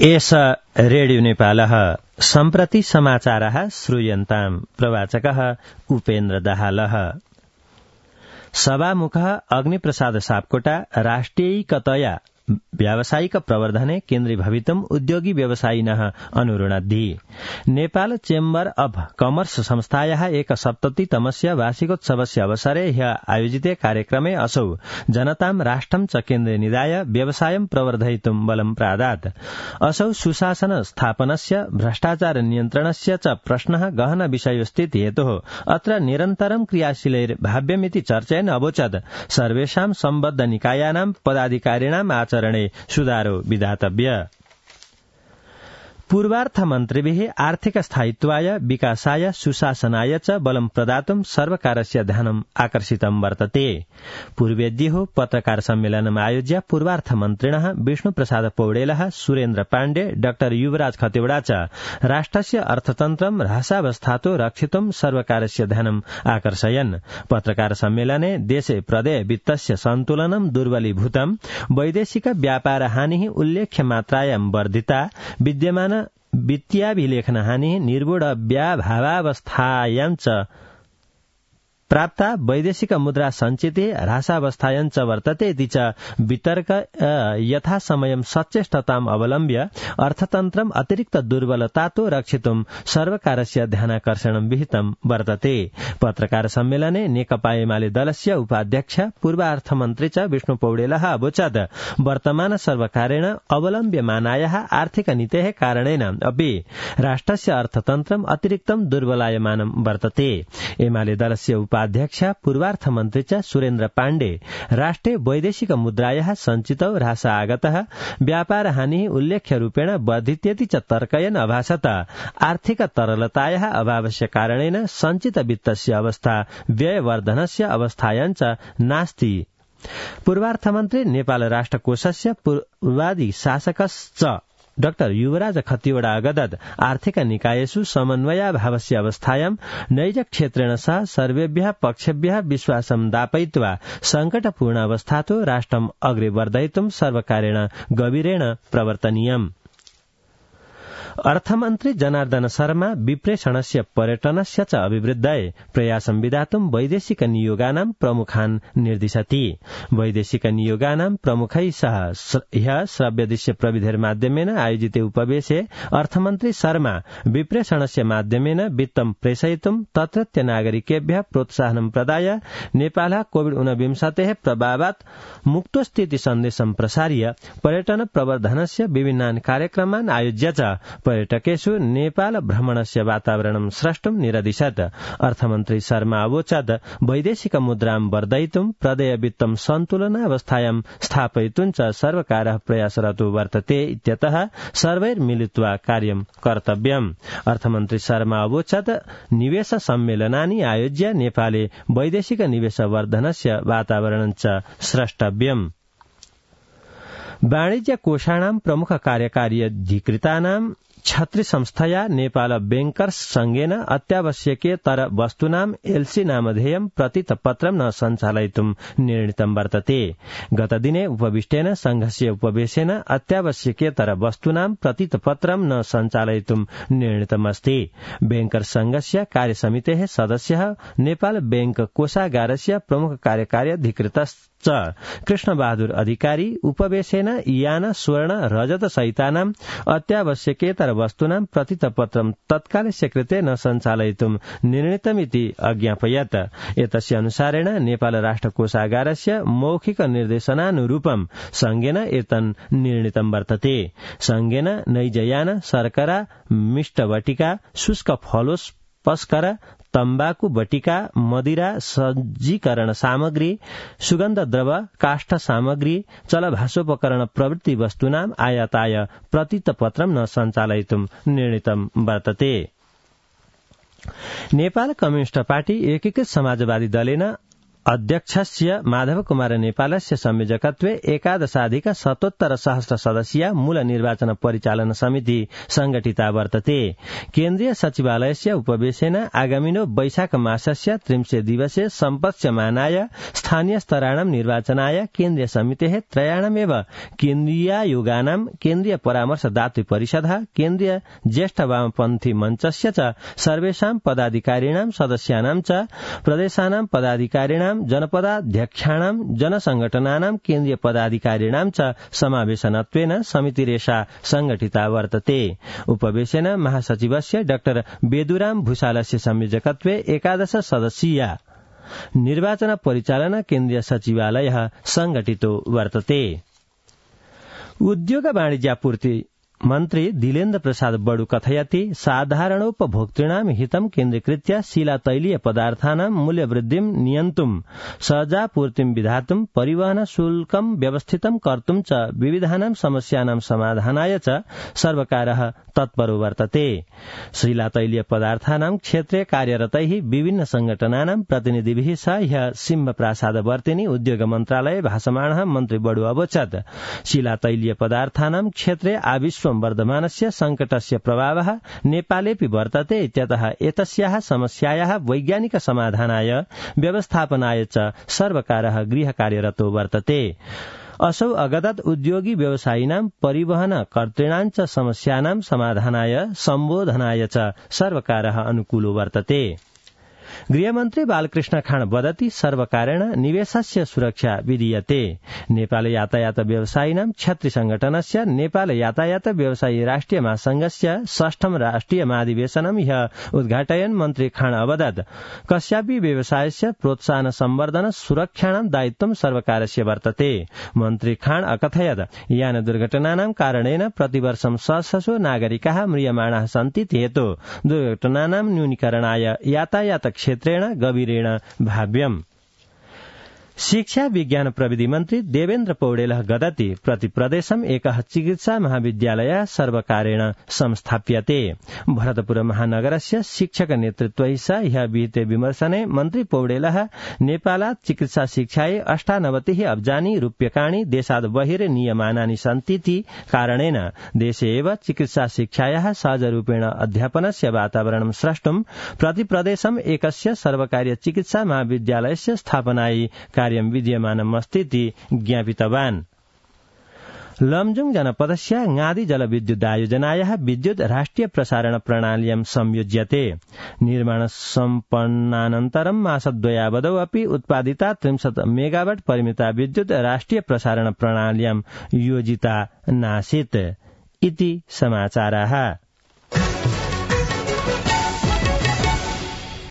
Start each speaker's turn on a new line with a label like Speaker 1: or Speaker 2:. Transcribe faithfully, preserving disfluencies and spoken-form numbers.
Speaker 1: एष रेडियो नेपालः सम्प्रति समाचारः श्रूयन्ताम् प्रवाचकः उपेन्द्र दाहालः। सभामुखः अग्निप्रसाद सापकोटा राष्ट्रियैकतया व्यावसायिक प्रवर्धने केन्द्री भवितुम् उद्योगी व्यवसायिनः अनुरुणद्धि। नेपाल चेम्बर अफ कमर्स संस्थायाः एक सप्ततितमस्य वार्षिकोत्सवस्य अवसरे ह्य आयोजिते कार्यक्रमे असौ जनतां राष्ट्रं च केन्द्रे निधाय व्यवसायं प्रवर्धयितुं बलं प्रादात्। असौ सुशासन स्थापनस्य भ्रष्टाचार नियन्त्रणस्य च प्रश्नः गहन विषयोऽस्तीति हेतोः अत्र निरन्तरं क्रियाशीलैर्भाव्यमिति चर्चयन् अवोचत् सर्वेषां सम्बद्ध निकायानां पदाधिकारिणाम् आचरणे सुधारो विधातव्य। पूर्वार्थमन्त्रिभिः आर्थिक स्थायित्वाय विकासाय सुशासनाय च बलं प्रदातुं सर्वकारस्य ध्यानम् आकर्षितं वर्तते। पूर्वेद्युः पत्रकार सम्मेलनम् आयोज्य पूर्वार्थमन्त्रिणः विष्णुप्रसाद पौडेलः, सुरेन्द्र पाण्डे, डाक्टर युवराज खतिवड़ा च राष्ट्रस्य अर्थतन्त्रं ह्रासावस्थातो रक्षितुं सर्वकारस्य ध्यानम् आकर्षयन्। पत्रकार सम्मेलने देशे प्रदेय वित्तस्य सन्तुलनं दुर्बलीभूतं, वैदेशिक व्यापार हानिः उल्लेख्य मात्रायां वर्धिता, विद्यमान वित्तीयाभिलेखन हानिः निर्वूढव्याभावावस्थायां च प्राप्ता, वैदेशिक मुद्रा सञ्चिते ह्रासावस्थायां च वर्तते इति च वितर्क यथा समयं सचेष्टताम् अवलम्ब्य अर्थतन्त्रम् अतिरिक्त दुर्बलतातो रक्षितुं सर्वकारस्य ध्यानाकर्षणं विहितं वर्तते। पत्रकार सम्मेलने नेकपा एमाले दलस्य उपाध्यक्ष पूर्वार्थमन्त्री च विष्णु पौडेलः अवोचत् वर्तमान सर्वकारेण अवलम्ब्यमानायाः आर्थिक नीतेः कारणेन अपि राष्ट्रस्य अर्थतन्त्रम् अतिरिक्तं दुर्बलायमानं वर्तते। एमाले दलस्य अध्यक्ष पूर्वार्थमन्त्री च सुरेन्द्र पाण्डे राष्ट्रे वैदेशिक मुद्रायाः सञ्चितौ ह्रास आगतः, व्यापार हानिः उल्लेख्य रूपेण वर्धित्येति च तर्कयन् अभासत आर्थिक तरलतायाः अभावस्य कारणेन सञ्चित वित्तस्य अवस्था व्ययवर्धनस्य अवस्थायां च नास्ति। पूर्वार्थमन्त्री नेपाल राष्ट्रकोषस्य पूर्वादि शासकश्च डाक्टर युवराज खतिवड़ा अगदत् आर्थिक निकायेषु समन्वयाभावस्य अवस्थायां नैजक्षेत्रेण सह सर्वेभ्यः पक्षेभ्यः विश्वासं दापयित्वा सङ्कटपूर्ण अवस्थातो राष्ट्रम् अग्रे वर्धयितुं सर्वकारेण गभीरेण प्रवर्तनीयम्। अर्थमन्त्री जनार्दन शर्मा विप्रेषणस्य पर्यटनस्य च अभिवृद्धाय प्रयासं विधातुं वैदेशिक नियोगानां प्रमुखान् निर्दिशति। वैदेशिक नियोगानां प्रमुखैः सह ह्यः श्रव्यदृश्य प्रविधिर्माध्यमेन आयोजिते उपवेशे अर्थमन्त्री शर्मा विप्रेषणस्य माध्यमेन वित्तं प्रेषयितुं तत्रत्य नागरिकेभ्यः प्रोत्साहनं प्रदाय नेपालः कोविड ऊनविंशतेः प्रभावात् मुक्तोऽस्तीति सन्देशं प्रसार्य पर्यटन प्रवर्धनस्य विभिन्नान् कार्यक्रमान् आयोज्य च पर्यटकेषु नेपाल भ्रमणस्य वातावरणं स्रष्टुं निरदिशत्। अर्थमन्त्री शर्मा अवोचत् वैदेशिक मुद्रां वर्धयितुं प्रदेय वित्तं सन्तुलनावस्थायां स्थापयितुं च सर्वकारः प्रयासरतो वर्तते इत्यतः सर्वैर्मिलित्वा कार्यं कर्तव्यम्। अर्थमन्त्री शर्मा अवोचत् निवेश सम्मेलनानि आयोज्य नेपाले वैदेशिक निवेश वर्धनस्य वातावरणं च स्रष्टव्यम्। वाणिज्य कोषाणां प्रमुख कार्यकारी अधिकृतानां छत्री संस्थया नेपाल बैंकर्स संघेन अत्यावश्यकीयतर वस्तूनां एलसी नामधेयं प्रतितपत्रं न सञ्चालयितुं निर्णीतं वर्तते। गतदिने उपविष्टेन संघस्य उपवेशेन अत्यावश्यकीयतर वस्तूनां प्रतितपत्रं न सञ्चालयितुं निर्णीतमस्ति। बैंकर्स संघस्य कार्यसमितेः सदस्यः नेपाल बैंक कोषागारस्य प्रमुख कार्यकारी अधिकृतश्च कृष्णबहादुर अधिकारी उपवेशेन यान स्वर्ण रजत सहितानां अत्यावश्यकीयतर वस्तूनां प्रतितपत्रं तत्कालस्य कृते न सञ्चालयितुं निर्णीतमिति अज्ञापयत्। एतस्य अनुसारेण नेपाल राष्ट्रकोषागारस्य मौखिक निर्देशनानुरूपं संघेन एतन् निर्णीतं वर्तते। संघेन नैजयान शर्करा, मिष्टवटिका, शुष्क फलोस् पस्कर, तम्बाकू बटिका, मदिरा, सज्जीकरण सामग्री, सुगन्ध द्रव, काष्ठ सामग्री, चलभाषोपकरण प्रभृति वस्तूनां आयाताय प्रतितपत्रं न सञ्चालयितुं निर्णीतं वर्तते। नेपाल कम्युनिष्ट पार्टी एकीकृत समाजवादी दलेन अध्यक्षस्य माधव कुमार नेपालस्य संयोजकत्वे एकादशाधिक शतोत्तर सहस्र सदस्यीय मूल निर्वाचन परिचालन समिति संगठिता वर्तते। केन्द्रीय सचिवालयस्य उपवेशेन आगामिनो वैशाख मासस्य त्रिंशे दिवसे सम्पत्स्यमानाय स्थानीय स्तराणां निर्वाचनाय केन्द्रीय समितेः त्रयाणामेव केन्द्रीयायोगानां केन्द्रीय परामर्शदातृ परिषदः केन्द्रीय ज्येष्ठ वामपन्थी मञ्चस्य च सर्वेषां पदाधिकारिणां सदस्यानां च प्रदेशानां पदाधिकारिणां जनपदाध्यक्षाणां जनसंघटनानां केन्द्रीय पदाधिकारिणां च समावेशनत्वेन समितिरेषा संगठिता वर्तते। उपवेशेन महासचिवस्य डाक्टर बेदुराम भूषालस्य संयोजकत्वे एकादश सदस्यीया निर्वाचन परिचालन केन्द्रीय सचिवालयः संगठितो वर्तते। उद्योग वाणिज्यापूर्ति मन्त्री दिलेन्द्र प्रसाद बडु कथयति साधारणोपभोक्तॄणां हितं केन्द्रीकृत्य शिलातैलीय पदार्थानां मूल्यवृद्धिं नियन्तुं सहजापूर्तिं विधातुं परिवहन शुल्कं व्यवस्थितं कर्तुं च विविधानां समस्यानां समाधानाय च सर्वकारः तत्परो वर्तते। शिलातैलीय पदार्थानां क्षेत्रे कार्यरतैः विभिन्न संगठनानां प्रतिनिधिभिः सह ह्यः सिंहप्रासादवर्तिनि उद्योग मन्त्रालये भाषमाणः मन्त्री बडु अवोचत् शिलातैलीय पदार्थानां क्षेत्रे आविश्व वर्धमानस्य संकटस्य प्रभावः नेपालेऽपि वर्तते इत्यतः एतस्याः समस्यायाः वैज्ञानिक समाधानाय व्यवस्थापनाय च सर्वकारः गृहकार्यरतो वर्तते। असौ अगदत् उद्योगी व्यवसायिनां परिवहन कर्तॄणां च समस्यानां समाधानाय सम्बोधनाय च सर्वकारः अनुकूलो वर्तते। गृहमन्त्री बालकृष्ण खाँड वदति सर्वकारेण निवेशस्य सुरक्षा विधीयते। नेपाल यातायात व्यवसायिनां क्षत्रि संगठनस्य नेपाल यातायात व्यवसायी राष्ट्रिय महासंघस्य षष्ठम राष्ट्रिय महाधिवेशनं ह्यः उद्घाटयन् मन्त्री खाँड अवदत् कस्यापि व्यवसायस्य प्रोत्साहन संवर्धन सुरक्षाणां दायित्वं सर्वकारस्य वर्तते। मन्त्री खाँड अकथयत् यान दुर्घटनानां कारणेन प्रतिवर्षं सहस्रशो नागरिकाः म्रियमाणाः सन्ति हेतु दुर्घटनानां न्यूनीकरणाय यातायात क्षेत्रेण गभीरेण भाव्यम्। शिक्षा विज्ञान प्रविधि मन्त्री देवेन्द्र पौडेलः गदति प्रति प्रदेशम् एकः चिकित्सा महाविद्यालयः सर्वकारेण संस्थाप्यते। भरतपुर महानगरस्य शिक्षक नेतृत्वैः सह ह्यः विहिते विमर्शने मन्त्री पौडेलः नेपालात् चिकित्सा शिक्षायै अष्टानवतिः अब्जानि रूप्यकाणि देशाद् बहिर् नीयमानानि सन्तीति कारणेन देशे एव चिकित्सा शिक्षायाः सहजरूपेण अध्यापनस्य वातावरणं स्रष्टुं प्रति प्रदेशम् एकस्य सर्वकारीय चिकित्सा महाविद्यालयस्य स्थापनायै कार्यं विद्यमानमस्तीति ज्ञापितवान्। लमजुङ जनपदस्य ङादी जलविद्युदायोजनायाः विद्युत राष्ट्रिय प्रसारण प्रणाल्यां संयोज्यते। निर्माण सम्पन्नानन्तरं मासद्वयावधौ अपि उत्पादिता त्रिंशत् मेगावाट परिमिता विद्युत राष्ट्रिय प्रसारण प्रणाल्यां योजिता नासीत् इति समाचाराः।